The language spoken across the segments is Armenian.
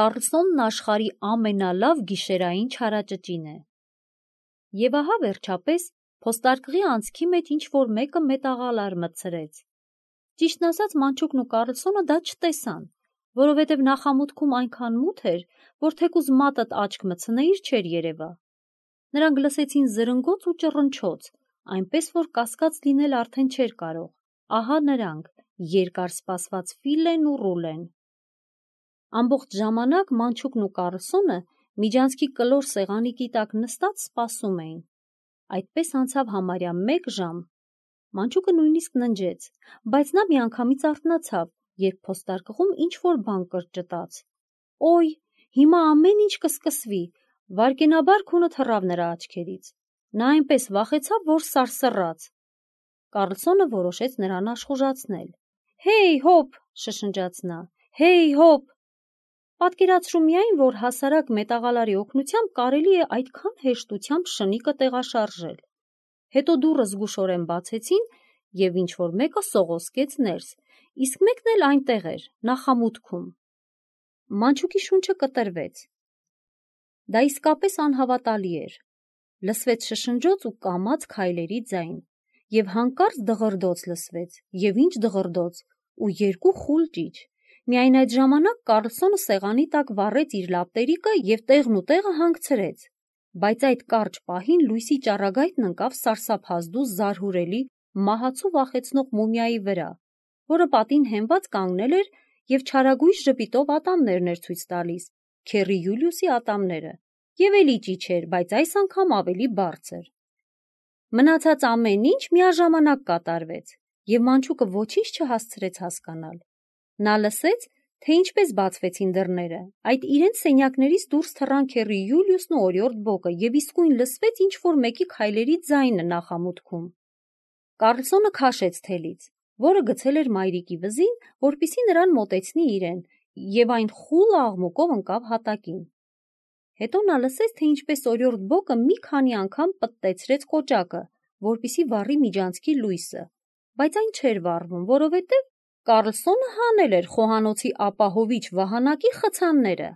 Կառլսոնն աշխարհի ամենալավ գիշերային չարաճճին է։ Եվ ահա վերջապես փոստարկղի անցքի մեջ ինչ-որ մեկը մետաղալար մտցրեց։ Ճիշտն ասած, Մանչուկն ու Կառլսոնը դա չտեսան, որովհետև նախամուտքում այնքան մութ էր, որ թեկուզ մատդ աչք մտցնեիր չէր երևա։ Նրանք լսեցին զրնգոց ու ճռնչոց, այնպես որ կասկած լինել արդեն չէր կարող։ Ահա նրանք, երկար սպասված Ֆիլեն ու Ռուլեն։ Ամբողջ ժամանակ Մանչուկն ու Կառլսոնը միջանցքի կլոր սեղանիկի տակ նստած սպասում էին։ Այդպես անցավ համարյա 1 ժամ։ Մանչուկը նույնիսկ ննջեց, բայց նա միանգամից արթնացավ, երբ փոստարկղում ինչ-որ բան կրճտաց։ Օй, հիմա ամեն ինչ կսկսվի, վայրկենաբար քունը թռավ նրա աչքերից։ Նա այնպես վախեցավ, որ սարսռաց։ Կառլսոնը որոշեց նրան աշխուժացնել։ «Հեյ, հոп», շշնջաց նա, «հեյ, հոп»։ Պատկերացրու միայն, որ հասարակ մետաղալարի օգնությամբ կարելի է այդքան հեշտությամբ շնիկը տեղաշարժել։ Հետո դուռը զգուշորեն բացեցին, և ինչ-որ մեկը սողոսկեց ներս, իսկ մեկն էլ այնտեղ էր, նախամուտքում։ Մանչուկի շունչը կտրվեց։ Դա իսկապես անհավատալի էր։ Լսվեց շշնջոց ու կամաց քայլերի ձայն, և հանկարծ դղրդոց լսվեց, և ինչ դղրդոց, ու 2 խուլ ճիչ։ Միայն այդ ժամանակ Կառլսոնը սեղանի տակ վառեց իր լապտերիկը և տեղն ու տեղը հանգցրեց, բայց այդ կարճ պահին լույսի ճառագայթն ընկավ սարսափազդու զարհուրելի, մահացու վախեցնող մումիայի վրա, որը պատին հենված կանգնել էր և չարագույժ ժպիտով ատամներն էր ցույց տալիս, Քեռի Յուլիուսի ատամները, և էլի ճիչ էր, բայց այս անգամ ավելի բարձր։ Մնացած ամեն ինչ միաժամանակ կատարվեց, և Մանչուկը ոչինչ չհասցրեց հասկանալ։ Նա լսեց, թե ինչպես բացվեցին դռները, այդ իրենց սենյակներից դուրս թռան Քեռի Յուլիուսն ու օրիորդ Բոկը, և իսկույն լսվեց ինչ-որ մեկի քայլերի ձայնը նախամուտքում։ Կառլսոնը քաշեց թելից, որը գցել էր մայրիկի վզին, որպեսզի նրան մոտեցնի իրեն, և այն խուլ աղմուկով ընկավ հատակին։ Հետո նա լսեց, թե ինչպես օրիորդ Բոկը մի քանի անգամ պտտեցրեց կոճակը, որպեսզի վառի միջանցքի լույսը, բայց այն չէր վառվում, որովհետև Կառլսոնը հանել էր խոհանոցի ապահովիչ վահանակի խցանները։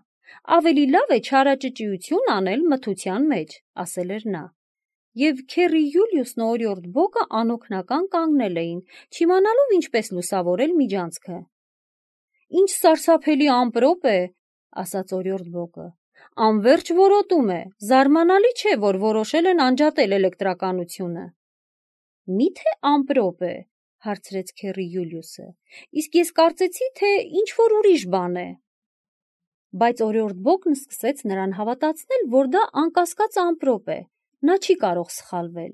Ավելի լավ է չարաճճիություն անել մթության մեջ, ասել էր նա։ Եվ Քեռի Յուլիուսն ու օրիորդ Բոկը անօգնական կանգնել էին, չիմանալով ինչպես լուսավորել միջանցքը։ «Ինչ սարսափելի ամպրոպ է», ասաց օրիորդ Բոկը։ «Անվերջ որոտում է, զարմանալի չէ, որ որոշել են անջատել էլեկտրականությունը»։ «Մի՞թե ամպրոպ է», հարցրեց Քեռի Յուլիուսը, «իսկ ես կարծեցի, թե ինչ-որ ուրիշ բան է»։ Բայց օրիորդ Բոկն սկսեց նրան հավատացնել, որ դա անկասկած ամպրոպ է, նա չի կարող սխալվել։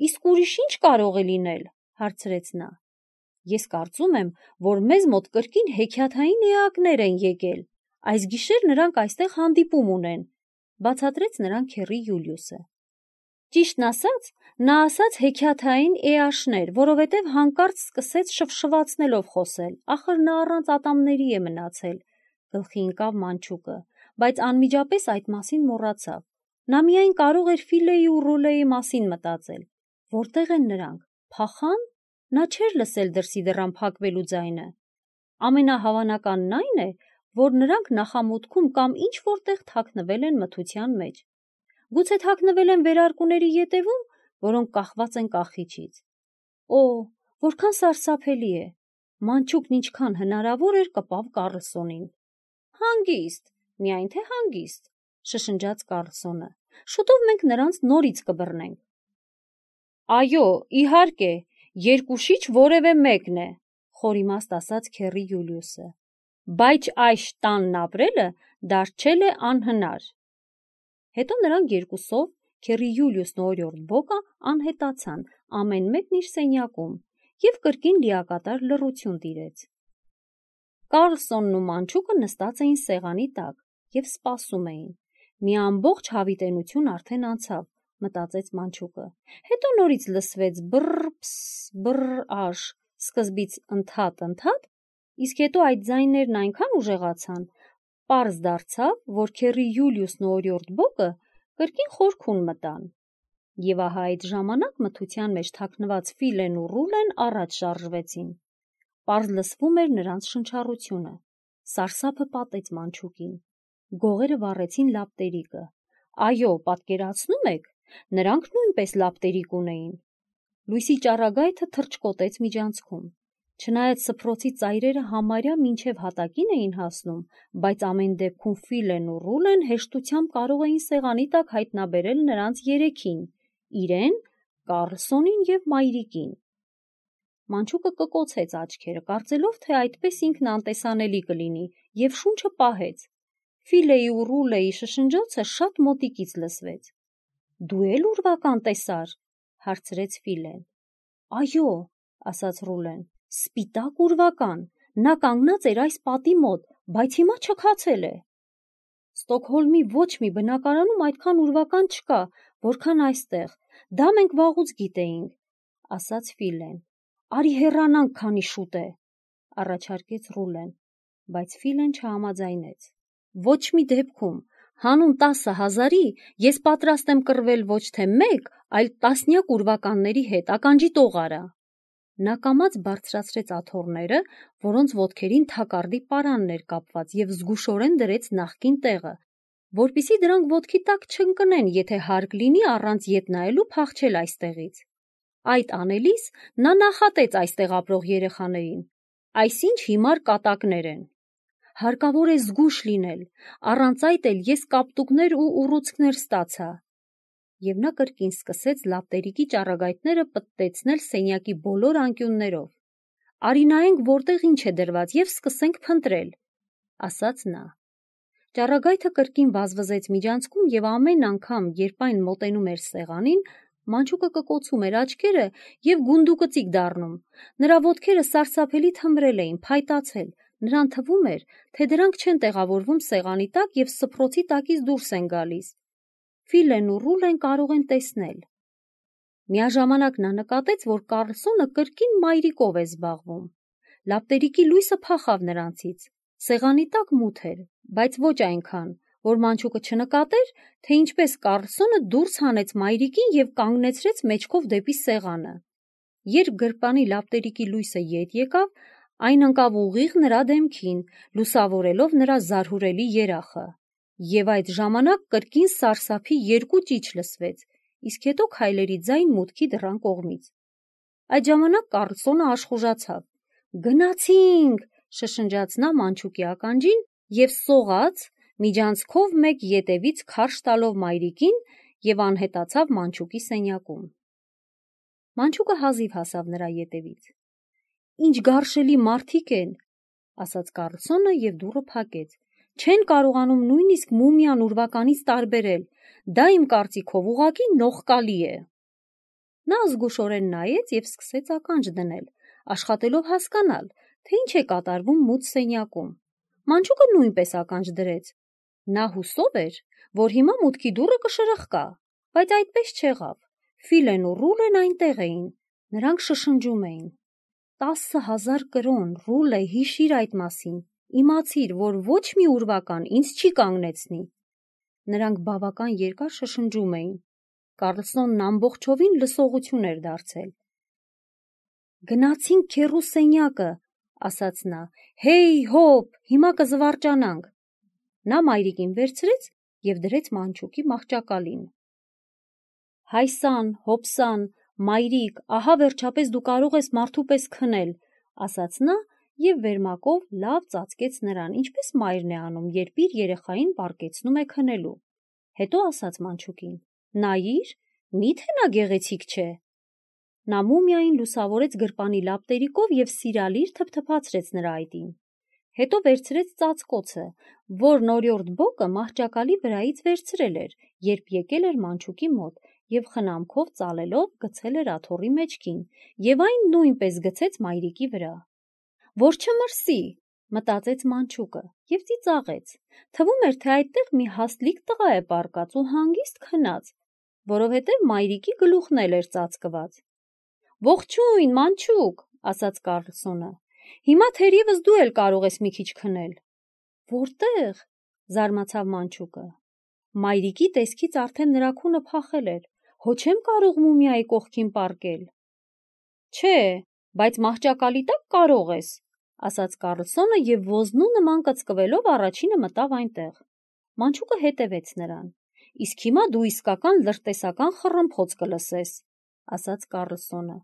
«Իսկ ուրիշ ի՞նչ կարող է լինել», հարցրեց նա։ «Ես կարծում եմ, որ մեզ մոտ կրկին հեքիաթային էակներ են եկել, այս գիշեր նրանք այստեղ հանդիպում ունեն», բացատրեց նրան Քեռի Յուլիուսը։ Ճիշտն ասած, նա ասաց հեքիաթային էաշներ, որովհետև հանկարծ սկսեց շվշվացնելով խոսել, ախր նա առանց ատամների է մնացել, գլխի ընկավ Մանչուկը, բայց անմիջապես այդ մասին մոռացավ։ Նա միայն կարող էր Ֆիլեի ու Ռուլեի մասին մտածել։ Որտե՞ղ են նրանք, փախա՞ն։ Նա չէր լսել դրսի դռան փակվելու ձայնը։ Ամենահավանականն այն է, որ նրանք նախամուտքում կամ ինչ-որտեղ թաքնվել են մթության մեջ։ Գուցե թաքնվել են վերարկուների ետևում, որոնք կախված են կախիչից։ Օ, որքան սարսափելի է։ Մանչուկն ինչքան հնարավոր էր կպավ Կառլսոնին։ «Հանգիստ, միայն թե հանգիստ», շշնջաց Կառլսոնը։ «Շուտով մենք նրանց նորից կբռնենք»։ «Այո, իհարկե, երկուշիչ որևէ մեկն է», խորիմաստ ասաց Քեռի Յուլիուսը։ «Բայց այս տանն ապրելը դարձել է անհնար»։ Հետո նրանք երկուսով, Քեռի Յուլիուսն ու օրիորդ Բոկը, անհետացան, ամեն մեկն իր սենյակում, և կրկին լիակատար լռություն տիրեց։ Կառլսոնն ու Մանչուկը նստած էին սեղանի տակ և սպասում էին։ Մի ամբողջ հավիտենություն արդեն անցավ, մտածեց Մանչուկը։ Հետո նորից լսվեց բռ-փս, բռ-աշ, սկզբից ընդհատ, իսկ հետո այդ ձայներն այնքան ուժեղացան, պարզ դարձավ, որ Քեռի Յուլիուսն ու օրիորդ Բոկը կրկին խորքուն մտան։ Եվ ահա այդ ժամանակ մթության մեջ թաքնված Ֆիլեն ու Ռուլեն առաջ շարժվեցին։ Պարզ լսվում էր նրանց շնչառությունը։ Սարսափը պատեց Մանչուկին։ Գողերը վառեցին լապտերիկը։ Այո, պատկերացնում եք, նրանք նույնպես լապտերիկ ունեին։ Լույսի ճառագայթը թռչկոտեց միջանցքում։ Չնայած սփռոցի ծայրերը համարյա մինչև հատակին էին հասնում, բայց ամեն դեպքում Ֆիլեն ու Ռուլեն հեշտությամբ կարող էին սեղանի տակ հայտնաբերել նրանց երեքին՝ իրեն, Կարլսոնին և մայրիկին։ Մանչուկը կկոցեց աչքերը, կարծելով, թե այդպես ինքն անտեսանելի կլինի, և շունչը պահեց։ Ֆիլեի ու Ռուլեի շշնջոցը շատ մոտիկից լսվեց։ «Դու էլ ուրվական տեսար», հարցրեց Ֆիլեն։ «Այո», ասաց Ռուլեն, «սպիտակ ուրվական, նա կանգնած էր այս պատի մոտ, բայց հիմա չքացել է»։ «Ստոկհոլմի ոչ մի բնակարանում այդքան ուրվական չկա, որքան այստեղ, դա մենք վաղուց գիտեինք», ասաց Ֆիլեն։ «Արի հեռանանք, քանի շուտ է», առաջարկեց Ռուլեն, բայց Ֆիլեն չհամաձայնեց։ «Ոչ մի դեպքում, հանուն 10,000-ի ես պատրաստ եմ կռվել ոչ թե մեկ, այլ տասնյակ ուրվականների հետ, ականջի տող արա»։ Նա կամաց բարձրացրեց աթոռները, որոնց ոտքերին թակարդի պարանն էր կապված, և զգուշորեն դրեց նախկին տեղը, որպեսզի դրանք ոտքի տակ չընկնեն, եթե հարկ լինի առանց ետ նայելու փախչել այստեղից։ Այդ անելիս նա նախատեց այստեղ ապրող երեխաներին. «Այսինչ հիմար կատակներ են։ Հարկավոր է զգույշ լինել, առանց այդ էլ ես կապտուկներ ու ուռուցքներ ստացա»։ Եվ նա կրկին սկսեց լապտերիկի ճառագայթները պտտեցնել սենյակի բոլոր անկյուններով։ «Արի նայենք որտեղ ինչ է դրված և սկսենք փնտրել», ասաց նա։ Ճառագայթը կրկին վազվզեց միջանցքում, և ամեն անգամ, երբ այն մոտենում էր սեղանին, Մանչուկը կկոցում էր աչքերը և գունդուկծիկ դառնում։ Նրա ոտքերը սարսափելի թմրել էին, փայտացել, նրան թվում էր, թե դրանք չեն տեղավորվում սեղանի տակ և սփռոցի տակից դուրս են գալիս։ Ֆիլեն ու Ռուլեն կարող են տեսնել։ Միաժամանակ նա նկատեց, որ Կարլսոնը կրկին մայրիկով է զբաղվում։ Լապտերիկի լույսը փախավ նրանցից։ Սեղանի տակ մութ էր, բայց ոչ այնքան, որ Մանչուկը չնկատեր, թե ինչպես Կարլսոնը դուրս հանեց մայրիկին և կանգնեցրեց մեջքով դեպի սեղանը։ Երբ գրպանի լապտերիկի լույսը ետ եկավ, այն ընկավ ուղիղ նրա դեմքին, լուսավորելով նրա զարհուրելի երախը։ Եվ այդ ժամանակ կրկին սարսափի երկու ճիչ լսվեց, իսկ հետո քայլերի ձայն մուտքի դռան կողմից։ Այդ ժամանակ Կարլսոնը աշխուժացավ։ «Գնացինք», շշնջաց նա Մանչուկի ականջին և սողաց, միջանցքով մեկ ետևից քարշ տալով մայրիկին, և անհետացավ Մանչուկի սենյակում։ Մանչուկը հազիվ հասավ նրա ետևից։ «Ինչ գարշելի մարդիկ են», ասաց Կարլսոնը և դուռը փակեց։ «Չեն կարողանում նույնիսկ մումիան ուրվականից տարբերել, դա իմ կարծիքով ուղղակի նողկալի է»։ Նա զգուշորեն նայեց և սկսեց ականջ դնել, աշխատելով հասկանալ, թե ինչ է կատարվում մութ սենյակում։ Մանչուկը նույնպես ականջ դրեց։ Նա հուսով էր, որ հիմա մուտքի դուռը կշրխկա, բայց այդպես չեղավ։ Ֆիլեն ու Ռուլեն այնտեղ էին։ Նրանք շշնջում էին. 10,000 կրոն, Ռուլե, հիշիր այդ մասին, իմացիր, որ ոչ մի ուրվական ինձ չի կանգնեցնի։ Նրանք բավական երկար շշնջում էին։ Կարլսոնն ամբողջովին լսողություն էր դարձել։ «Գնացինք քեռու սենյակը», ասաց նա։ «Հեյ, հոп, հիմա կզվարճանանք»։ Նա մայրիկին վերցրեց և դրեց Մանչուկի մահճակալին։ «Հայսան, հոպսան, մայրիկ, ահա վերջապես դու կարող ես մարդու պես քնել», ասաց նա և վերմակով լավ ծածկեց նրան, ինչպես մայրն է անում, երբ իր երեխային պառկեցնում է քնելու։ Հետո ասաց Մանչուկին. «Նայիր, մի՞թե նա գեղեցիկ չէ»։ Նա մումիային լուսավորեց գրպանի լապտերիկով և սիրալիր թփթփացրեց նրա այտին։ Հետո վերցրեց ծածկոցը, որն օրիորդ Բոկը մահճակալի վրայից վերցրել էր, երբ եկել էր Մանչուկի մոտ, և խնամքով ծալելով գցել էր աթոռի մեջքին, և այն նույնպես գցեց մայրիկի վրա։ «Որ չմրսի», մտածեց Մանչուկը և ծիծաղեց։ Թվում էր, թե այդտեղ մի հաստլիկ տղա է պառկած ու հանգիստ քնած, որովհետև մայրիկի գլուխն էլ էր ծածկված։ «Ողջույն, Մանչուկ», ասաց Կարլսոնը։ «Հիմա թերևս դու էլ կարող ես մի քիչ քնել»։ «Որտե՞ղ», զարմացավ Մանչուկը։ Մայրիկի տեսքից արդեն նրա քունը փախել էր։ «Հո չեմ կարող մումիայի կողքին պառկել»։ «Չէ, բայց մահճակալի տակ կարող ես», ասաց Կարլսոնը և ոզնու նման կծկվելով առաջինը մտավ այնտեղ։ Մանչուկը հետևեց նրան։ Իսկ հիմա դու իսկական լրտեսական խռմփոց կլսես, ասաց Կառլսոնը։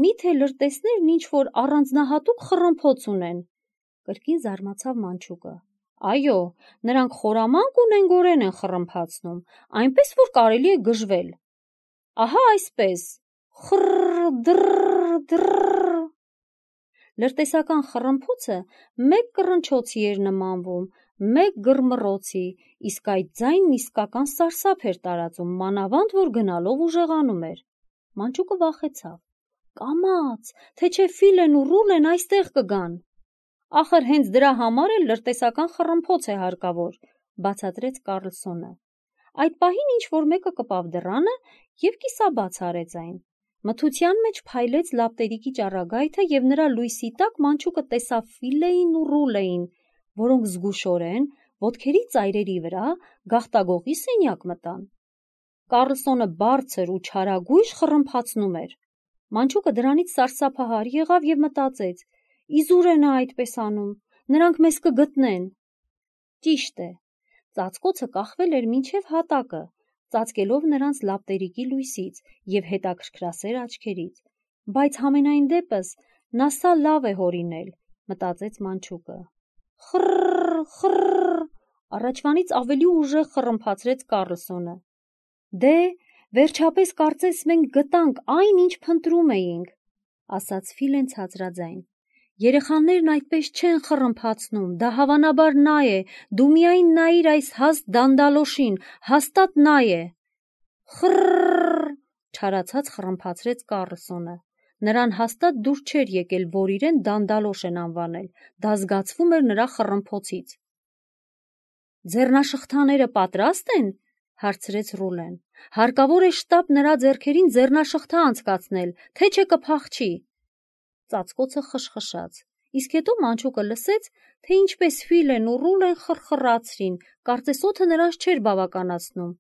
Միթե լրտեսներն ինչ-որ առանձնահատուկ խռմփոց ունեն, կրկին զարմացավ Մանչուկը։ Այո, նրանք խորամանկ ու նենգորեն են խռմփացնում, այնպես որ կարելի է գժվել։ Ահա այսպես, խռ, դռ, դռ։ Լրտեսական խռմփոցը մեկ կռնչոցի էր նմանվում, մեկ գրմռոցի, իսկ այդ ձայնն իսկական սարսափ էր տարածում, մանավանդ որ գնալով ուժեղանում էր։ Մանչուկը վախեցավ։ Կամաց, թե չէ Ֆիլեն ու Ռուլեն այստեղ կգան։ Ախր հենց դրա համար էլ լրտեսական խռմփոց է հարկավոր, բացատրեց Կառլսոնը։ Այդ պահին ինչ-որ մեկը կպավ դռանը և կիսաբաց արեց այն։ Մթության մեջ փայլեց լապտերիկի ճառագայթը և նրա լույսի տակ Մանչուկը տեսավ Ֆիլեին ու Ռուլեին, որոնք զգուշորեն ոտքերի ծայրերի վրա գաղտագողի սենյակ մտան։ Կառլսոնը բարձր ու չարագույժ խռմփացնում էր։ Մանչուկը դրանից սարսափահար եղավ և մտածեց. Իզուր է նա այդպես անում, նրանք մեզ կգտնեն։ Ճիշտ է, ծածկոցը կախվել էր մինչև հատակը, ծածկելով նրանց լապտերիկի լույսից և հետաքրքրասեր աչքերից, բայց համենայն դեպս նա սա լավ է հորինել, մտածեց Մանչուկը։ Խռ, խռ, առաջվանից ավելի ուժեղ խռմփացրեց Կառլսոնը։ Դե, վերջապես կարծես մենք գտանք այն, ինչ փնտրում էինք, ասաց Ֆիլեն ցածրաձայն։ Երեխաներն այդպես չեն խռմփացնում, դա հավանաբար նա է, դու միայն նայիր այս հաստ դանդալոշին, հաստատ նա է։ Խռ, չարացած խռմփացրեց Կառլսոնը։ Նրան հաստատ դուր չէր եկել, որ իրեն դանդալոշ են անվանել, դա զգացվում էր նրա խռմփոցից։ Ձեռնաշղթաները պատրաստ են, հարցրեց Ռուլեն։ Հարկավոր է շտապ նրա ձեռքերին ձեռնաշղթա անցկացնել, թե չէ կփախչի։ Ծածկոցը խշխշաց, իսկ հետո Մանչուկը լսեց, թե ինչպես Ֆիլեն ու Ռուլեն խռխռացրին, կարծես օդը նրանց չէր բավականացնում,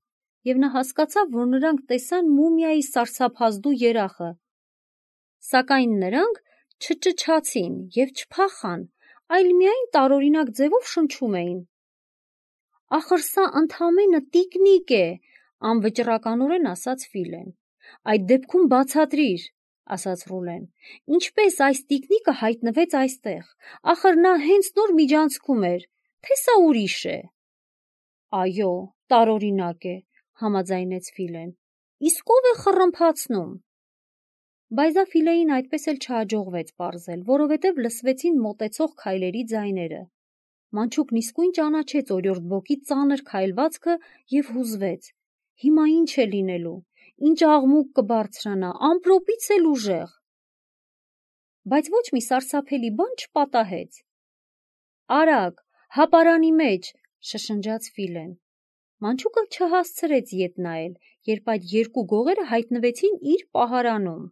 և նա հասկացավ, որ նրանք տեսան մումիայի սարսափազդու երախը։ Սակայն նրանք չճչացին և չփախան, այլ միայն տարօրինակ ձևով շնչում էին։ Ախր սա ընդամենը տիկնիկ է, անվճռականորեն ասաց Ֆիլեն։ Այդ դեպքում բացատրիր, ասաց Ռուլեն, ինչպես այս տիկնիկը հայտնվեց այստեղ, ախր նա հենց նոր միջանցքում էր, թե սա ուրիշ է։ Այո, տարօրինակ է, համաձայնեց Ֆիլեն, իսկ ով է խռմփացնում։ Բայց դա Ֆիլեին այդպես էլ չհաջողվեց պարզել, որովհետև լսվեցին մոտեցող քայլերի ձայները։ Մանչուկն իսկույն ճանաչեց օրիորդ Բոկի ծանր քայլվածքը և հուզվեց։ Հիմա ինչ է լինելու, ինչ աղմուկ կբարձրանա, ամպրոպից էլ ուժեղ։ Բայց ոչ մի սարսափելի բան չպատահեց։ Արագ, հապարանի մեջ, շշնջաց Ֆիլեն։ Մանչուկը չհասցրեց ետ նայել, երբ այդ երկու գողերը հայտնվեցին իր պահարանում։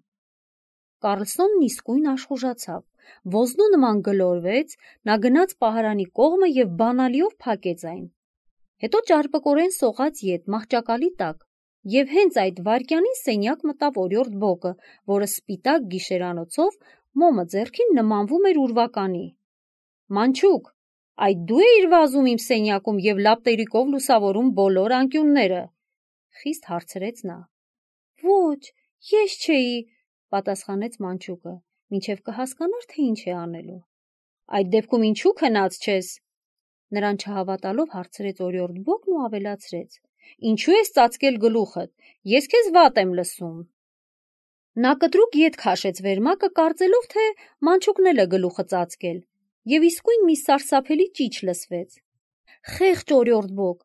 Կառլսոնն իսկույն աշխուժացավ, ոզնու նման գլորվեց, նա գնաց պահարանի կողմը և բանալիով փակեց այն։ Հետո ճարպկորեն սողաց ետ մահճակալի տակ, և հենց այդ վայրկյանին սենյակ մտավ օրիորդ Բոկը, որը սպիտակ գիշերանոցով մոմը ձեռքին նմանվում էր ուրվականի։ Մանչուկ, այդ դու էիր վազում իմ սենյակում և լապտերիկով լուսավորում բոլոր անկյունները, խիստ հարցրեց նա։ Ոչ, ես չէի, պատասխանեց Մանչուկը, մինչև կհասկանար, թե ինչ է անելու։ Այդ դեպքում ինչու քնած չես։ Նրան չհավատալով հարցրեց օրիորդ Բոկն ու ավելացրեց. Ինչու ես ծածկել գլուխդ, ես քեզ վատ եմ լսում։ Նա կտրուկ ետ քաշեց վերմակը, կարծելով, թե Մանչուկն էլ է գլուխը ծածկել, և իսկույն մի սարսափելի ճիչ լսվեց։ Խեղճ օրիորդ Բոկ,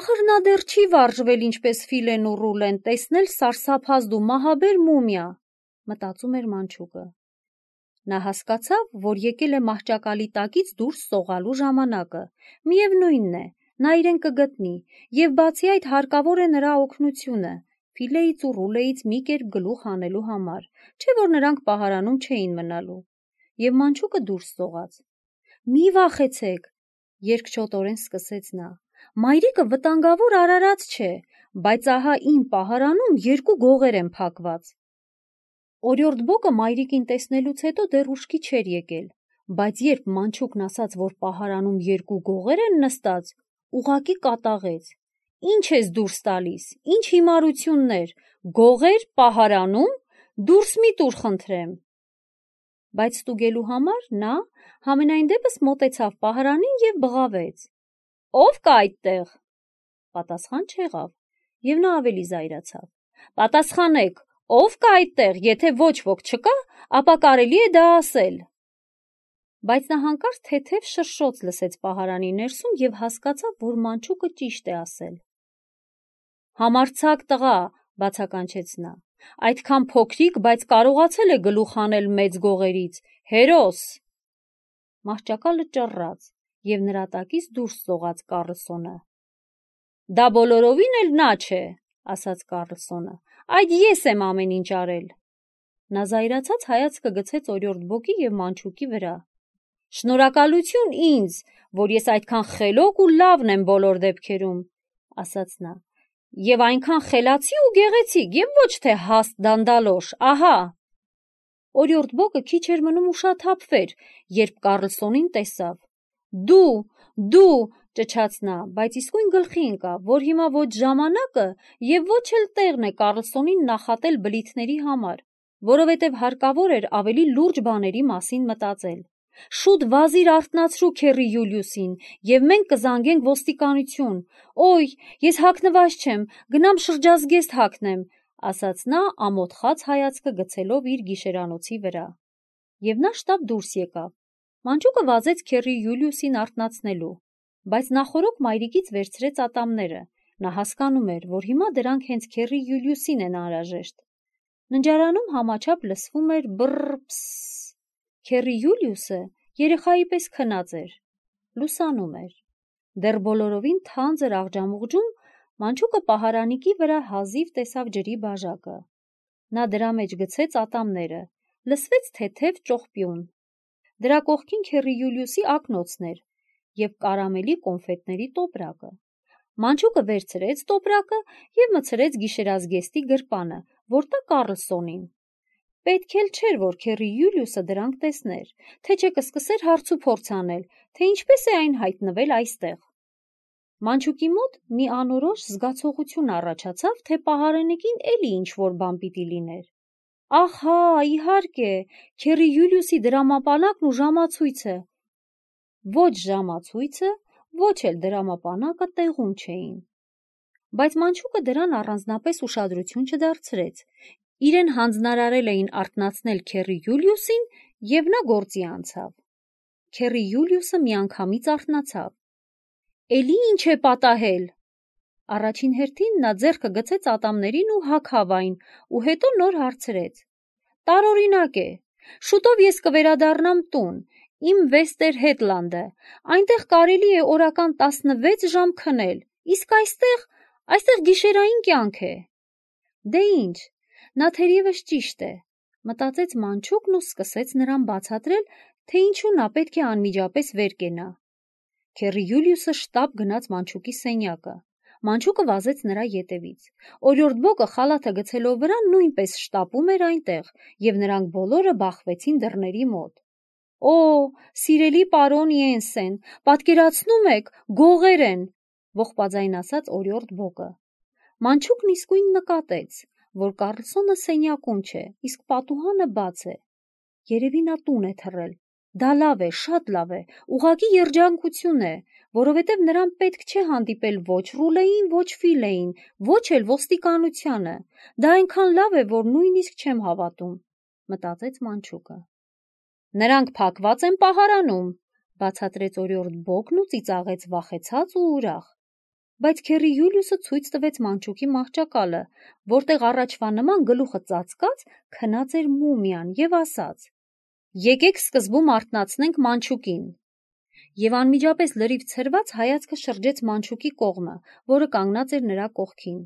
ախր նա դեռ չի վարժվել ինչպես Ֆիլեն ու Ռուլեն, տեսնել սարսափազդ ու մահաբեր մումիա, մտածում էր Մանչուկը։ Նա հասկացավ, որ եկել է մահճակալի տակից դուրս սողալու ժամանակը։ Միևնույնն է, նա իրեն կգտնի, և բացի այդ հարկավոր է նրա օգնությունը, Ֆիլեից ու Ռուլեից մի կերպ գլուխ հանելու համար, չէ՞ որ նրանք պահարանում չէին մնալու։ Եվ Մանչուկը դուրս սողաց։ Մի վախեցեք, երկչոտորեն սկսեց նա։ Մայրիկը վտանգավոր արարած չէ, բայց ահա իմ պահարանում երկու գողեր են փակված։ Օրիորդ Բոկը մայրիկին տեսնելուց հետո դեռ ուշքի չէր եկել, բայց երբ Մանչուկն ասաց, որ պահարանում երկու գողեր են նստած, ուղակի կատաղեց. «Ինչ ես դուրս տալիս, ինչ հիմարություններ, գողեր պահարանում, դուրս մի տուր խնդրեմ»։ Բայց ստուգելու համար նա համենայն դեպս մոտեցավ պահարանին և բղավեց. «Ո՞վ կա այդտեղ»։ Պատասխան չեղավ, և նա ավելի զայրացավ. «Պատասխանեք, ո՞վ կա այդտեղ, եթե ոչ ոք չկա, ապա կարելի է դա ասել»։ Բայց նա հանկարծ թեթև շրշոց լսեց պահարանի ներսում և հասկացավ, որ մանչուկը ճիշտ է ասել։ «Համարձակ տղա», բացականչեց նա, «այդքան փոքրիկ, բայց կարողացել է գլուխ հանել մեծ գողերից, հերոս»։ Մահճակալը ճռռաց, և նրա տակից դուրս ծողաց Կառլսոնը։ «Դա բոլորովին էլ նա չէ», ասաց Կառլսոնը, «այդ ես եմ ամեն ինչ արել»։ Նա զայրացած հայացքը գցեց օրիորդ Բոգի և մանչուկի վրա։ «Շնորհակալություն ինձ, որ ես այդքան խելոք ու լավն եմ բոլոր դեպքերում», ասաց նա, «և այնքան խելացի ու գեղեցիկ, և ոչ թե հաստ դանդալոշ, ահա»։ Օրիորդ Բոգը քիչ էր մնում ուշաթափվեր, երբ Կառլսոնին տեսավ։ Դու, ճչաց նա, բայց իսկույն գլխի ընկավ, որ հիմա ոչ ժամանակը և ոչ էլ տեղն է Կառլսոնին նախատել բլիթների համար, որովհետև հարկավոր էր ավելի լուրջ բաների մասին մտածել։ «Շուտ վազիր արթնացրու քեռի Յուլիուսին, և մենք կզանգենք ոստիկանություն։ Օй, ես հագնված չեմ, գնամ շրջազգեստ հագնեմ», ասաց նա ամոթխած հայացքը գցելով իր գիշերանոցի վրա։ Եվ նա շտապ դուրս եկավ։ Մանչուկը վազեց քեռի Յուլիուսին արթնացնելու, բայց նախօրոք մայրիկից վերցրեց ատամները։ Նա հասկանում էր, որ հիմա դրանք հենց քեռի Յուլիուսին են անհրաժեշտ։ Ննջարանում համաչափ լսվում էր բռռ-փսս։ Քեռի Յուլիուսը երեխայի պես քնած էր, լուսանում էր։ Դեռ բոլորովին թանձր աղջամուղջում մանչուկը պահարանիկի վրա հազիվ տեսավ ջրի բաժակը։ Նա դրա մեջ գցեց ատամները, լսվեց թեթև ճողպյուն։ Դրա կողքին քեռի Յուլիուսի ակնոցն էր և կարամելի կոնֆետների տոպրակը։ Մանչուկը վերցրեց տոպրակը և մտցրեց գիշերազգեստի գրպանը, որ տա Կառլսոնին։ Պետք էլ չէր, որ քեռի Յուլիուսը դրանք տեսներ, թե չէ կսկսեր հարցուփորձ անել, թե ինչպես է այն հայտնվել այստեղ։ Մանչուկի մոտ մի անորոշ զգացողություն առաջացավ, թե պահարանիկին էլի ինչ-որ բան պիտի լիներ։ Ահա, իհարկե, քեռի Յուլիուսի դրամապանակն ու ժամացույցը։ Ոչ ժամացույցը, ոչ էլ դրամապանակը տեղում չէին։ Բայց մանչուկը դրան առանձնապես ուշադրություն չդարձրեց։ Իրեն հանձնարարել էին արթնացնել քեռի Յուլիուսին, և նա գործի անցավ։ Քեռի Յուլիուսը միանգամից արթնացավ։ «Էլի ինչ է պատահել»։ Առաջին հերթին նա ձեռքը գցեց ատամներին ու հագավ այն, ու հետո նոր հարցրեց. «Տարօրինակ է։ Շուտով ես կվերադառնամ տուն, իմ Վեստեր Հետլանդը, այնտեղ կարելի է օրական 16 ժամ քնել, իսկ այստեղ գիշերային կյանք է»։ Դե ինչ, նա թերևս ճիշտ է, մտածեց մանչուկն ու սկսեց նրան բացատրել, թե ինչու նա պետք է անմիջապես վեր կենա։ Քեռի Յուլիուսը շտապ գնաց մանչուկի սենյակը։ Մանչուկը վազեց նրա ետևից։ Օրիորդ Բոգը խալաթը գցելով վրա նույնպես շտապում էր այնտեղ, և նրանք բոլորը բախվեցին դռների մոտ։ «Օ, սիրելի պարոն Յենսեն, պատկերացնում եք, գողեր են», ողբաձայն ասաց օրիորդ Բոգը։ Մանչուկն իսկույն նկատեց, որ Կառլսոնը սենյակում չէ, իսկ պատուհանը բաց է։ Երևի նա տուն է թռել։ Դա լավ է, շատ լավ է, ուղղակի երջանկություն է, որովհետև նրան պետք չէ հանդիպել ոչ Ռուլեին, ոչ Ֆիլեին, ոչ էլ ոստիկանությանը։ Դա այնքան լավ է, որ նույնիսկ չեմ հավատում, մտածեց մանչուկը։ «Նրանք փակված են պահարանում», բացատրեց օրիորդ Բոգն ու ծիծաղեց վախեցած ու ուրախ։ Բայց քեռի Յուլիուսը ցույց տվեց մանչուկի մահճակալը, որտեղ առաջվա նման գլուխը ծածկած քնած էր մումիան, և ասաց. «Եկեք սկզբում արթնացնենք մանչուկին»։ Եվ անմիջապես լրիվ ցրված հայացքը շրջեց մանչուկի կողմը, որը կանգնած էր նրա կողքին։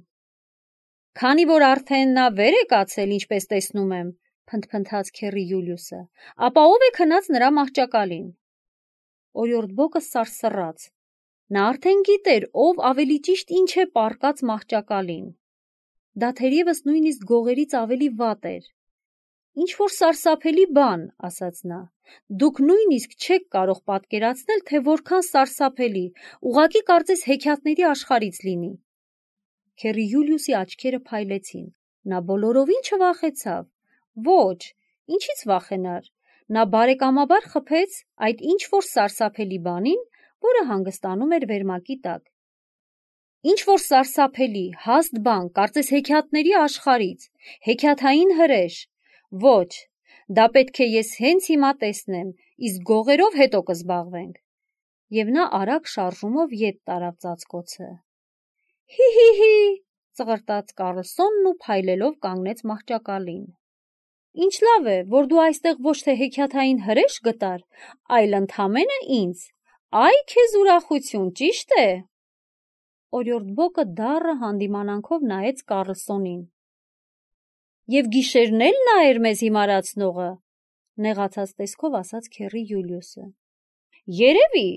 «Քանի որ արդեն նա վեր է կացել, ինչպես տեսնում եմ», փնթփնթաց քեռի Յուլիուսը, «ապա ո՞վ է քնած նրա մահճակալին»։ Օրիորդ Բոգը սարսռաց։ Նա արդեն գիտեր, ով ավելի ճիշտ ինչ է պառկած մահճակալին։ Դա թերևս նույնիսկ գողերից ավելի վատ էր։ «Ինչ-որ սարսափելի բան», ասաց նա, Դուք նույնիսկ չեք կարող պատկերացնել, թե որքան սարսափելի, ուղղակի կարծես հեքիաթների աշխարհից լինի։ Քերի Յուլիուսի աչքերը փայլեցին։ Նա բոլորովին չվախեցավ։ Ոչ, ինչից վախենար։ Նա բարեկամաբար խփեց այդ ինչ-որ սարսափելի բանին, որը հանգստանում էր վերմակի տակ։ Ինչ-որ սարսափելի, հաստ բան, կարծես հեքիաթների աշխարհից, հեքիաթային հրեշ։ Ոչ, դա պետք է ես հենց հիմա տեսնեմ, իսկ գողերով հետո կզբաղվենք։ Եվ նա արագ շարժումով ետ տարավ ծածկոցը։ Հի, ծղրտաց Կարլսոնն ու փայլելով կանգնեց մահճակալին։ Ինչ լավ է, որ դու այստեղ ոչ թե հեքիաթային հրեշ գտար, այլ ընդամենը ինձ։ Այ քեզ ուրախություն, ճիշտ է։ Օրիորդ Բոկը դառը հանդիմանանքով նայեց Կարլսոնին։ Եվ գիշերն էլ նա էր մեզ հիմարացնողը, նեղացած տեսքով ասաց Քերի Յուլիուսը։ Երևի,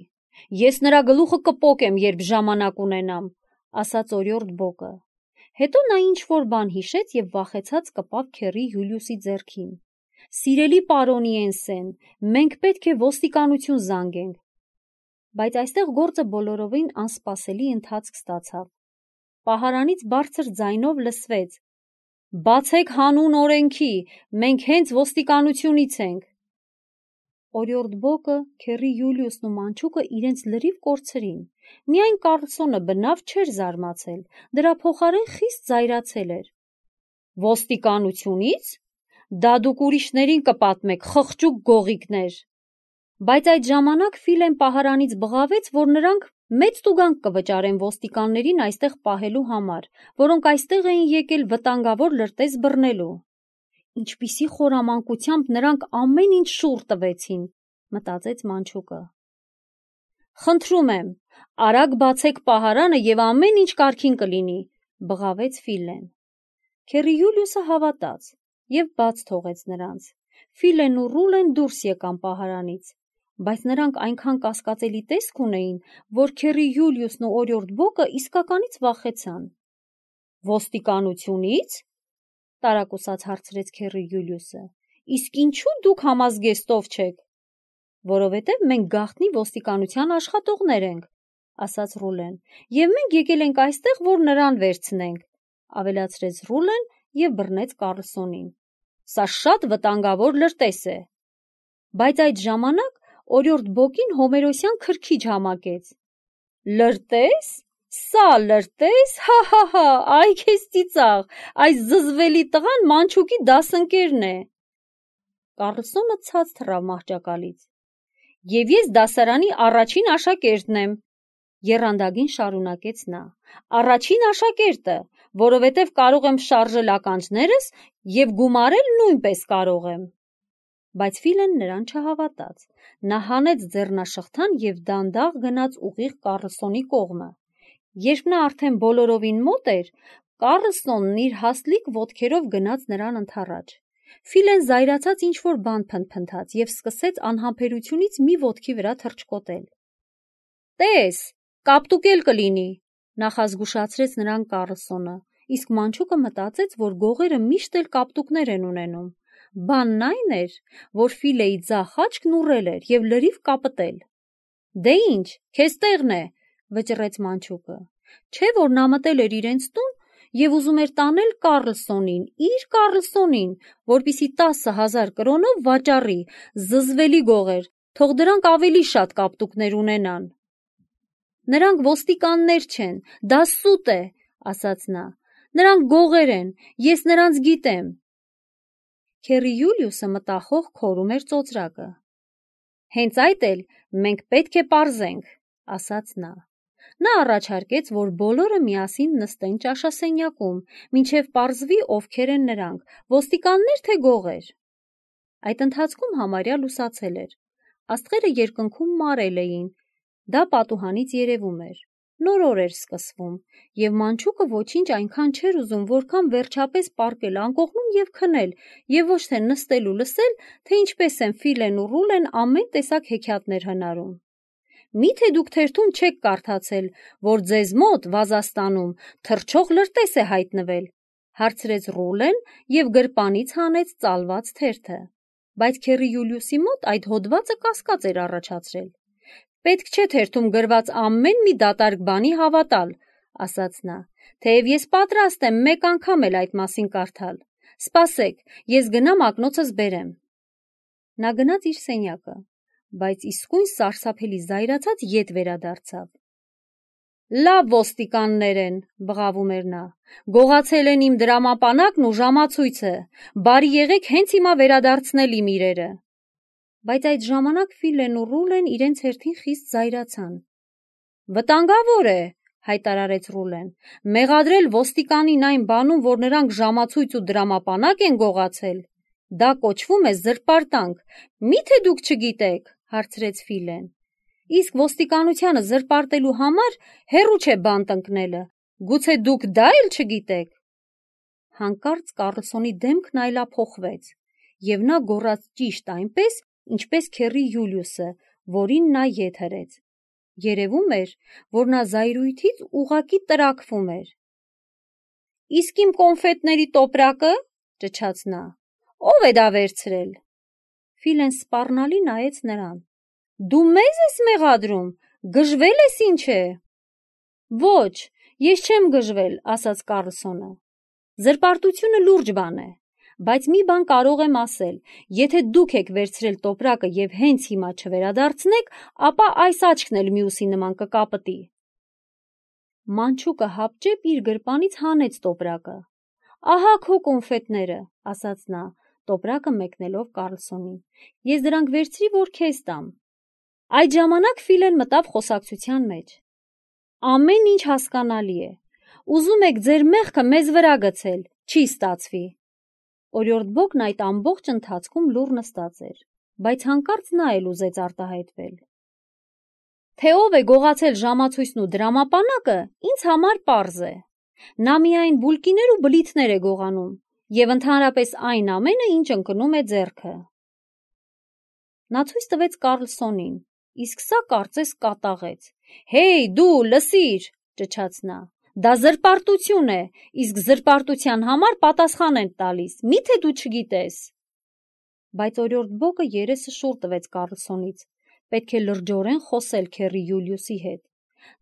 ես նրա գլուխը կպոկեմ, երբ ժամանակ ունենամ, ասաց օրիորդ Բոկը։ Հետո նա ինչ-որ բան հիշեց և վախեցած կպավ Քերի Յուլիուսի ձեռքին։ Սիրելի պարոն Յենսեն, մենք պետք է ոստիկանություն զանգենք։ Բայց այստեղ գործը բոլորովին անսպասելի ընթացք ստացավ։ Պահարանից բարձր ձայնով լսվեց. Բացեք հանուն օրենքի, մենք հենց ոստիկանությունից ենք։ Օրիորդ Բոկը, Քերի Յուլիուսն ու մանչուկը իրենց լրիվ կորցրին։ Միայն Կարլսոնը բնավ չէր զարմացել, դրա փոխարեն խիստ զայրացել էր։ Ոստիկանությունից։ Դա դուք ուրիշներին կպատմեք, խղճուկ գողիկներ։ Բայց այդ ժամանակ Ֆիլեն պահարանից բղավեց, որ նրանք մեծ տուգանք կվճարեն ոստիկաններին այստեղ պահելու համար, որոնք այստեղ էին եկել վտանգավոր լրտես բռնելու։ Ինչպիսի խորամանկությամբ նրանք ամեն ինչ շուռ տվեցին, մտածեց մանչուկը։ Խնդրում եմ, արագ բացեք պահարանը և ամեն ինչ կարգին կլինի, բղավեց Ֆիլեն։ Քերի Յուլիուսը հավատաց և բաց թողեց նրանց։ Ֆիլեն ու Ռուլեն դուրս եկան պահարանից, բայց նրանք այնքան կասկածելի տեսք ունեին, որ Քերի Յուլիուսն ու օրիորդ Բոկը իսկականից վախեցան։ Ոստիկանությունից։ Տարակուսած հարցրեց Քերի Յուլիուսը։ Իսկ ինչու դուք համազգեստով չեք։ Որովհետև մենք գաղտնի ոստիկանության աշխատողներ ենք, ասաց Ռուլեն, և մենք եկել ենք այստեղ, որ նրան վերցնենք, ավելացրեց Ռուլեն և բռնեց Կարլսոնին։ Սա շատ վտանգավոր լրտես է։ Բայց այդ ժամանակ օրիորդ Բոկին հոմերոսյան քրքիջ համակեց։ Լրտես։ Սա լրտես, հա, այ քեզ ծիծաղ, այս զզվելի տղան մանչուկի դասընկերն է։ Կարլսոնը ցած թռավ մահճակալից։ Եվ ես դասարանի առաջին աշակերտն եմ, եռանդագին շարունակեց նա։ Առաջին աշակերտը, որովհետև կարող եմ շարժել ականջներս և գումարել նույնպես կարող եմ։ Բայց Ֆիլեն նրան չհավատաց։ Նա հանեց ձեռնաշղթան և դանդաղ գնաց ուղիղ Կարլսոնի կողմը։ Երբ նա արդեն բոլորովին մոտ էր, Կարլսոնն իր հաստլիկ ոտքերով գնաց նրան ընդառաջ։ Ֆիլեն զայրացած ինչ-որ բան փնթփնթաց և սկսեց անհամբերությունից մի ոտքի վրա թռչկոտել։ Տես, կապտուկել կլինի, նախազգուշացրեց նրան Կարլսոնը, իսկ մանչուկը մտածեց, որ գողերը միշտ էլ կապտուկներ են ունենում։ Բանն այն էր, որ Ֆիլեի ձախ աչքն ուռել էր և լրիվ կապտել։ Դե ինչ, քեզ տեղն է, վճռեց մանչուկը։ Չէ՞ որ նա մտել էր իրենց տուն և ուզում էր տանել Կարլսոնին, իր Կարլսոնին, որպեսզի 10,000 կրոնով վաճառի, զզվելի գողեր, թող դրանք ավելի շատ կապտուկներ ունենան։ Նրանք ոստիկաններ չեն, դա սուտ է, ասաց նա։ Նրանք գողեր են, ես նրանց գիտեմ։ Քերի Յուլիուսը մտախոհ քորում էր ծոծրակը։ Հենց այդ էլ մենք պետք է պարզենք, ասաց նա։ Նա առաջարկեց, որ բոլորը միասին նստեն ճաշասենյակում, մինչև պարզվի ովքեր են նրանք, ոստիկաններ թե գողեր։ Այդ ընթացքում համարյա լուսացել էր։ Աստղերը երկնքում մարել էին, դա պատուհանից երևում էր։ Նոր օր էր սկսվում, և մանչուկը ոչինչ այնքան չէր ուզում, որքան վերջապես պառկել անկողնում և քնել, և ոչ թե նստել ու լսել, թե ինչպես են Ֆիլեն ու Ռուլեն ամեն տեսակ հեքիաթներ հնարում։ Միթե դուք թերթում չեք կարդացել, որ ձեզ մոտ Վազաստանում թռչող լրտես է հայտնվել, հարցրեց Ռուլեն և գրպանից հանեց ծալված թերթը։ բայց քեռի Յուլիուսի մոտ այդ հոդվածը կասկած էր առաջացրել։ «Պետք չէ թերթում գրված ամեն մի դատարկ բանի հավատալ», ասաց նա, «թեև ես պատրաստ եմ մեկ անգամ էլ այդ մասին կարդալ։ Սպասեք, ես գնամ ակնոցս բերեմ»։ Նա գնաց իր սենյակը, բայց իսկույն սարսափելի զայրացած ետ վերադարձավ։ «Լավ ոստիկաններ են», բղավում էր նա, «գողացել են իմ դրամապանակն ու ժամացույցը, բարի եղեք հենց հիմա վերադարձնել իմ իրերը»։ Բայց այդ ժամանակ Ֆիլեն ու Ռուլեն իրենց հերթին խիստ զայրացան։ «Վտանգավոր է», հայտարարեց Ռուլեն, «մեղադրել ոստիկանին այն բանում, որ նրանք ժամացույց ու դրամապանակ են գողացել։ Դա կոչվում է զրպարտանք, մի՞թե դուք չգիտեք», հարցրեց Ֆիլեն։ «Իսկ ոստիկանությանը զրպարտելու համար հեռու չէ բան տնկնելը, գուցե դուք դա էլ չգիտեք»։ Հանկարծ Կառլսոնի դեմքն այլափոխվեց, և նա գոռաց ճիշտ այնպես, ինչպես քեռի Յուլիուսը, որին նա ետ հրեց։ Երևում էր, որ նա զայրույթից ուղղակի տրաքվում էր։ «Իսկ իմ կոնֆետների տոպրակը», ճչաց նա, «ով է դա վերցրել»։ Ֆիլեն սպառնալի նայեց նրան։ «Դու մեզ ես մեղադրում, գժվել ես ինչ է»։ «Ոչ, ես չեմ գժվել», ասաց Կառլսոնը։ «Զրպարտությունը լուրջ բան է, բայց մի բան կարող եմ ասել. եթե դուք եք վերցրել տոպրակը և հենց հիմա չվերադարձնեք, ապա այս աչքն էլ մյուսի նման կկապտի»։ Մանչուկը հապճեպ իր գրպանից հանեց տոպրակը։ «Ահա քո կոնֆետները», ասաց նա, տոպրակը մեկնելով Կառլսոնին։ «Ես դրանք վերցրի, որ քեզ տամ»։ Այդ ժամանակ Ֆիլեն մտավ խոսակցության մեջ։ «Ամեն ինչ հասկանալի է։ Ուզում եք ձեր մեղքը մեզ վրա գցել, չի ստացվի»։ Օրիորդ Բոգն այդ ամբողջ ընթացքում լուռ նստած էր, բայց հանկարծ նա էլ ուզեց արտահայտվել։ Թե ով է գողացել ժամացույցն ու դրամապանակը, ինձ համար պարզ է։ Նա միայն բուլկիներ ու բլիթներ է գողանում, և ընդհանրապես այն ամենը, ինչ ընկնում է ձեռքը։ Նա ցույց տվեց Կառլսոնին, իսկ սա կարծես կատաղեց։ «Հեյ, դու, լսիր», ճչաց նա, «դա զրպարտություն է, իսկ զրպարտության համար պատասխան են տալիս, մի՞թե դու չգիտես»։ Բայց օրիորդ Բոգը երեսը շուռ տվեց Կառլսոնից, պետք է լրջորեն խոսել քեռի Յուլիուսի հետ։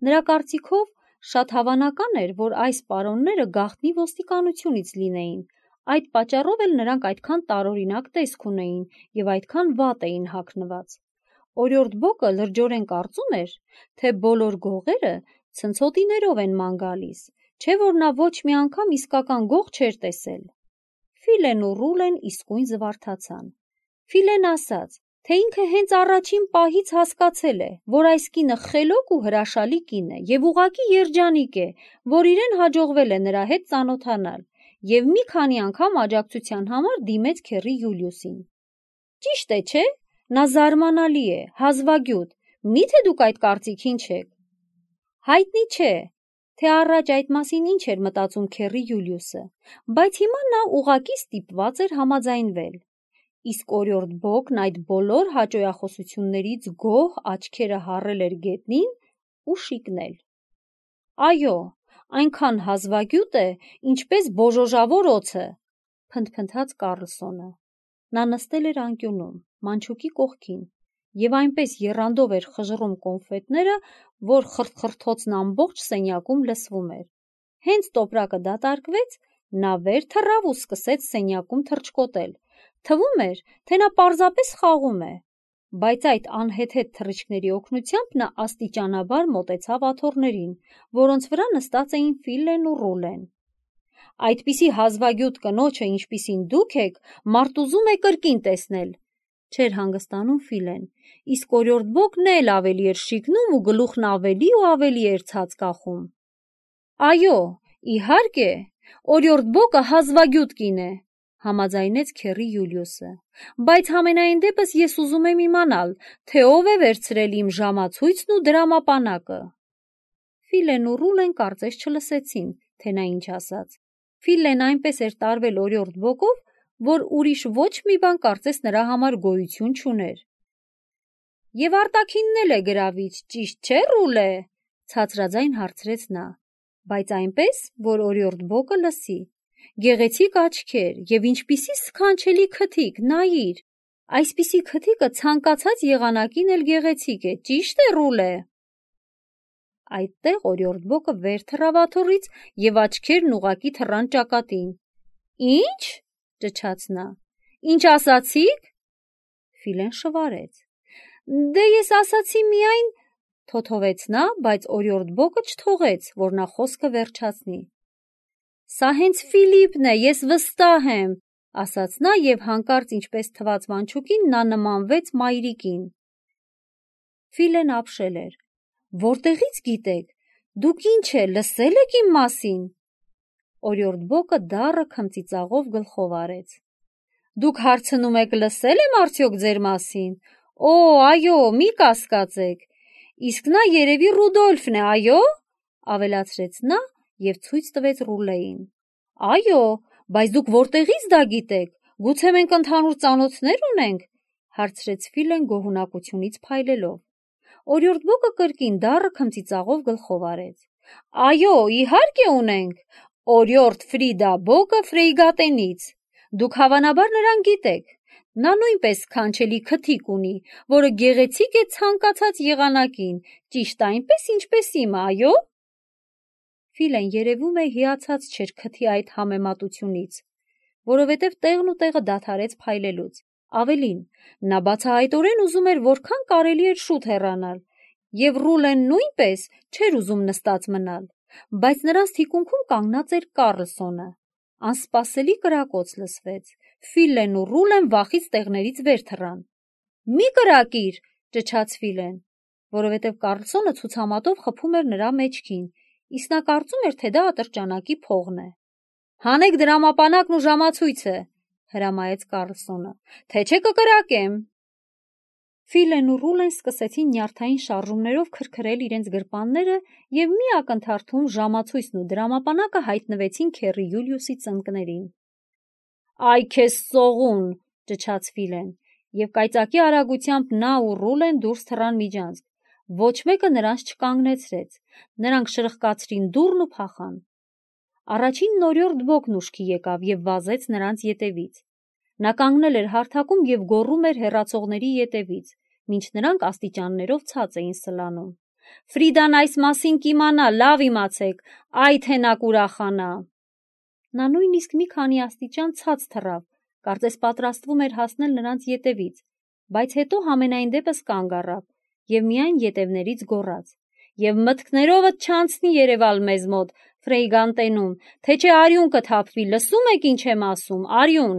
Նրա կարծիքով շատ հավանական էր, որ այս պարոնները գաղտնի ոստիկանությունից լինեին, այդ պատճառով էլ նրանք այդքան տարօրինակ տեսք ունեին և այդքան վատ էին հագնված։ Օրիորդ Բոգը լրջորեն կարծում էր, թե բոլոր գողերը ցնցոտիներով են ման գալիս, չէ՞ որ նա ոչ մի անգամ իսկական գող չէր տեսել։ Ֆիլեն ու Ռուլեն իսկույն զվարթացան։ Ֆիլեն ասաց, թե ինքը հենց առաջին պահից հասկացել է, որ այս կինը խելոք ու հրաշալի կին է և ուղղակի երջանիկ է, որ իրեն հաջողվել է նրա հետ ծանոթանալ, և մի քանի անգամ աջակցության համար դիմեց քեռի Յուլիուսին։ Ճիշտ է, չէ՞, նա զարմանալի է, հազվագյուտ, մի՞թե դուք այդ կարծիքին չեք։ Հայտնի չէ, թե առաջ այդ մասին ինչ էր մտածում քեռի Յուլիուսը, բայց հիմա նա ուղղակի ստիպված էր համաձայնվել։ Իսկ օրիորդ Բոգն այդ բոլոր հաճոյախոսություններից գոհ աչքերը հառել էր գետնին ու շիկնել։ Այո, այնքան հազվագյուտ է, ինչպես բոժոժավոր օձը, փնթփնթաց Կառլսոնը։ Նա նստել էր անկյունում, մանչուկի կողքին, և այնպես եռանդով էր խժռում կոնֆետները, որ խրթխրթոցն ամբողջ սենյակում լսվում էր։ Հենց տոպրակը դատարկվեց, նա վեր թռավ ու սկսեց սենյակում թռչկոտել։ Թվում էր, թե նա պարզապես խաղում է, բայց այդ անհեթեթ թռիչքների օգնությամբ նա աստիճանաբար մոտեցավ աթոռներին, որոնց վրա նստած էին Ֆիլեն ու Ռուլեն։ Այդպիսի հազվագյուտ կնոջը, ինչպիսին դուք եք, մարդ ուզում է կրկին տեսնել, չէր հանգստանում Ֆիլեն, իսկ օրիորդ Բոգն էլ ավելի էր շիկնում ու գլուխն ավելի ու ավելի էր ցած կախում։ Այո, իհարկե, օրիորդ Բոգը հազվագյուտ կին է, համաձայնեց քեռի Յուլիուսը, բայց համենայն դեպս ես ուզում եմ իմանալ, թե ով է վերցրել իմ ժամացույցն ու դրամապանակը։ Ֆիլեն ու Ռուլեն կարծես չլսեցին, թե նա ինչ ասաց։ Ֆիլեն այնպես էր տարվել օրիորդ Բոգով, որ ուրիշ ոչ մի բան կարծես նրա համար գոյություն չուներ։ Եվ արտաքինն էլ է գրավիչ, ճիշտ չէ, Ռուլե, ցածրաձայն հարցրեց նա, բայց այնպես, որ օրիորդ Բոգը լսի։ Գեղեցիկ աչքեր և ինչպիսի սքանչելի քթիկ, նայիր։ Այսպիսի քթիկը ցանկացած եղանակին էլ գեղեցիկ է, ճիշտ է, Ռուլե։ Այդտեղ օրիորդ բոկը վեր թռավ աթոռից եւ աչքերն ուղղակի թռան ճակատին։ Ինչ, ճչաց նա, ինչ ասացիք։ Ֆիլեն շվարեց։ Դե ես ասացի միայն, թոթովեց նա, բայց օրիորդ բոկը չթողեց, որ նա խոսքը վերջացնի։ Սա հենց Ֆիլիպն է, ես վստահ եմ, ասաց նա եւ հանկարծ ինչպես թված մանչուկին նա նմանվեց մայրիկին։ Ֆիլեն ապշել էր։ Որտեղից գիտեք, դուք ինչ է, լսել եք իմ մասին։ Օրիորդ բոկը դառը քմծիծաղով գլխով արեց։ Դուք հարցնում եք լսել եմ արդյոք ձեր մասին։ Օ, այո, մի կասկածեք։ Իսկ նա երևի Ռուդոլֆն է, այո, ավելացրեց նա եւ ցույց տվեց Ռուլեին։ Այո, բայց դուք որտեղից դա գիտեք։ Գուցե մենք ընդհանուր ծանոթներ ունենք, հարցրեց Ֆիլեն գոհունակությունից փայլելով։ Օրիորդ բոկը կրկին դառը քմծիծաղով գլխով արեց։ Այո, իհարկե ունենք։ Օրիորդ Ֆրիդա բոկը Ֆրեյգատենից։ Դուք հավանաբար նրան գիտեք։ Նա նույնպես քանչելի քթիկ ունի, որը գեղեցիկ է ցանկացած եղանակին, ճիշտ այնպես, ինչպես իմը, այո։ Ֆիլեն երևում է հիացած չէր քթի այդ համեմատությունից, որովհետև տեղն ու տեղը դադարեց փայլելուց։ Ավելին, նա բացահայտորեն ուզում էր որքան կարելի էր շուտ հեռանալ, եւ Ռուլեն նույնպես չէր ուզում նստած մնալ, բայց նրանց թիկունքում կանգնած էր Կարլսոնը։ Անսպասելի կրակոց լսվեց։ Ֆիլեն ու Ռուլեն վախից տեղներից վեր թռան։ Մի կրակիր, ճչաց Ֆիլեն, որովհետև Կարլսոնը ցուցամատով խփում էր նրա մեջքին, իսկ նա կարծում էր, թե դա ատրճանակի փողն է։ Հանեք դրամապանակն ու ժամացույցը, հրամայեց Կարլսոնը, թե չէ կկրակեմ։ Ֆիլեն ու Ռուլեն սկսեցին նյարդային շարժումներով քրքրել իրենց գրպանները եւ մի ակնթարթում ժամացույցն ու դրամապանակը հայտնվեցին Քերի Յուլիուսի ծնկներին։ Այ քեզ սողուն, ճչաց Ֆիլեն, եւ կայծակի արագությամբ նա ու Ռուլեն դուրս թռան միջանցք։ Ոչ մեկը նրանց չկանգնեցրեց։ Նրանք շրխկացրին դուռն ու փախան։ Առաջինն օրիորդ բոկն ուշքի եկավ եւ վազեց նրանց ետևից։ Նա կանգնել էր հարթակում եւ գոռում էր հեռացողների ետևից, մինչ նրանք աստիճաններով ցած էին սլանում։ Ֆրիդան այս մասին կիմանա, լավ իմացեք, այ թե նա կուրախանա։ Նա նույնիսկ մի քանի աստիճան ցած թռավ, կարծես պատրաստվում էր հասնել նրանց ետևից, բայց հետո համենայն դեպս կանգ առավ եւ միայն ետևներից գոռաց. Եվ մտքներովդ չանցնի երևալ մեզ մոտ, Ֆրեյգանտենում, թե չէ արյուն կթափվի, լսում եք ինչ եմ ասում, արյուն։